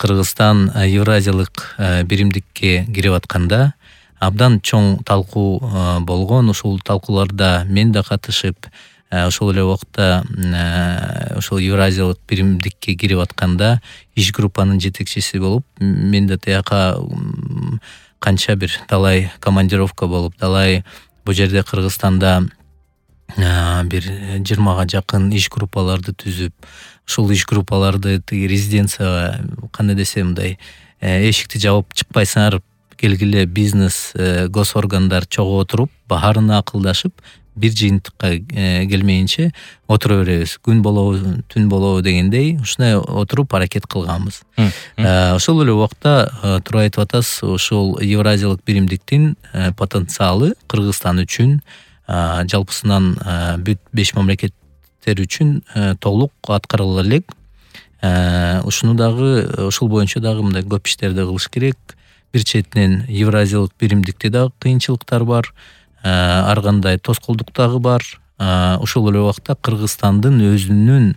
Кыргызстан Евразиялык биримдикке кирип атканда абдан чоң талкуу болгон. Ушул талкууларда мен да катышып, ошол эле убакта ошол Евразиялык биримдикке кирип атканда иш группанын жетекчиси болуп, мен да тияка канча бир талай командировка болуп, талай бу жерде Кыргызстанда бир 20га жакын иш группаларды түзүп, ушул иш группаларды тиги резиденцияга кандай десем мындай эшикти жабып чыкпайсыңар, келгиле бизнес, госоргандар чогуу отуруп, баарына акылдашып, бир жыйынтыкка келмейинче отура беребиз. Күн болобу, түн болобу дегендей ушундай отуруп аракет кылганбыз. Ошол эле убакта туура айтып атасыз, ушул Евразиялык биримдиктин потенциалы Кыргызстан үчүн жалпысынан бүт 5 мамлекеттер үчүн толук аткарыла элек. Ушуну дагы, ушул боюнча дагы мындай көп иштерди кылыш керек. Бир четинен Евразиялык биримдикте дагы кыйынчылыктар бар, ар кандай тоскоолдук дагы бар. Ушул эле убакта Кыргызстандын өзүнүн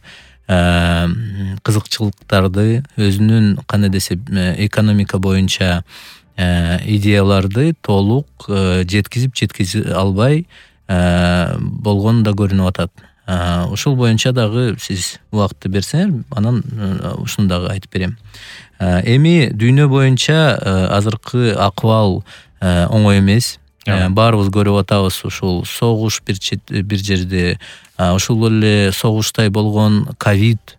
кызыкчылыктарды, өзүнүн кандай десем экономика боюнча идеяларды толук жеткизе албай болгону да көрүнүп атат. Ушул боюнча дагы сиз убакытты берсеңер, анан ушуну дагы айтып берем. Эми дүйнө боюнча азыркы акыбал оңой эмес. Баарыбыз көрүп атабыз, ушул согуш бир жерде, ушул эле согуштай болгон ковид.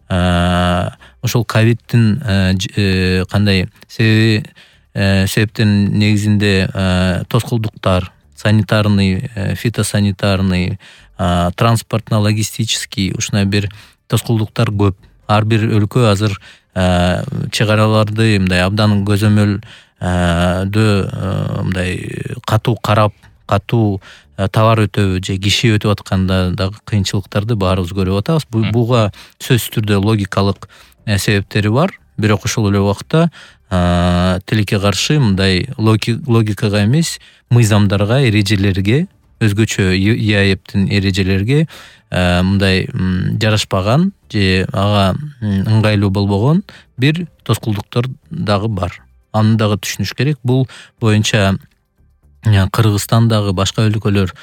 Ошол ковидтин кандай себептин негизинде тоскоолдуктар, санитарный, фитосанитарный, транспортно-логистический ушундай бир тоскоолдуктар көп. Ар бир өлкө азыр чек араларды мындай абдан көзөмөлдө мындай катуу карап, катуу товар өтөбү же киши өтүп атканда дагы кыйынчылыктарды баарыбыз көрүп атабыз. Буга сөзсүз түрдө логикалык себептери бар. Бирок ошол эле убакта тилекке каршы мындай логикага эмес, мыйзамдарга, эрежелерге, өзгөчө ЕАЭПтин эрежелерге мындай жарашпаган же ага ыңгайлуу болбогон бир тоскоолдуктар дагы бар. Аны дагы түшүнүш керек. Бул боюнча Кыргызстандагы башка өлкөлөр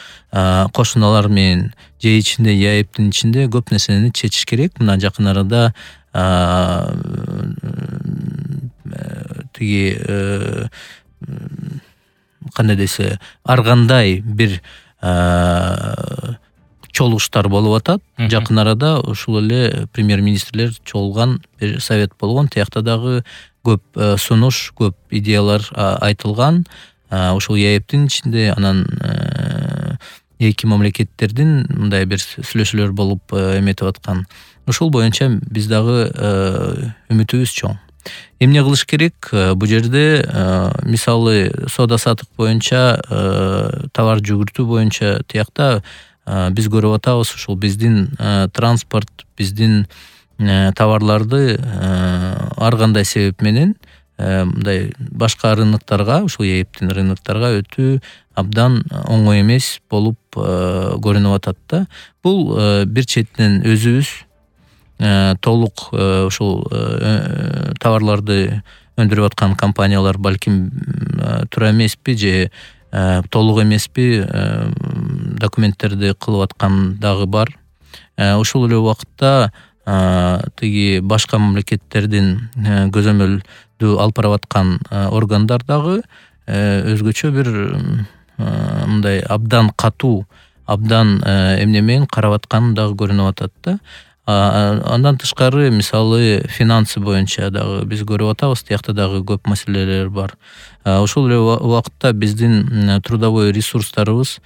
кошуналар менен же ичинде ЕАЭПтин ичинде көп нерсени чечиш керек. Мына жакын арада тиги кандай десе, ар кандай бир чогулуштар болуп атат. Жакын арада ушул эле премьер-министрлер чогулган бир совет болгон. Тиякта дагы көп сунуш, көп идеялар айтылган. Ушул ЕАЭПтин ичинде анан эки мамлекеттердин мындай бир сүйлөшүүлөр болуп эметип аткан. Ушул боюнча биз дагы үмүтүбүз чоң. Эмне кылыш керек? Бу жерде мисалы соода саттык боюнча, товар жүгүртүү боюнча тиякта биз көрүп атабыз, ушул биздин транспорт, биздин товарларды ар кандай себеп менен мындай башка рынокторго, ушул ЕАЭПтин рынокторго өтүү абдан оңой эмес болуп көрүнүп атат да. Бул бир четинен өзүбүз толук ушул товарларды өндүрүп аткан компаниялар балким туура эмеспи же толук эмеспи документтерди кылып аткан дагы бар. Ушул эле убакытта тиги башка мамлекеттердин көзөмөлдү алып барып аткан органдар дагы өзгөчө бир мындай абдан катуу, абдан эмне менен карап атканы дагы көрүнүп атат да. Андан тышкары мисалы финансы боюнча дагы биз көрүп атабыз, тиякта дагы көп маселелер бар. Ошол эле убакытта биздин трудовой ресурстарыбыз,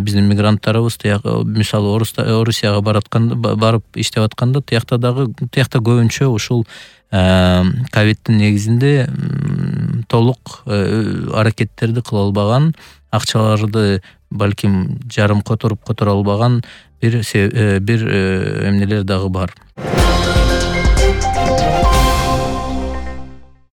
биздин мигранттарыбыз мисалы Орусияга барып иштеп атканда тиякта көбүнчө ушул ковидтин негизинде толук аракеттерди кыла албаган, акчаларды балким жарым которо албаган бир эмнелер дагы бар.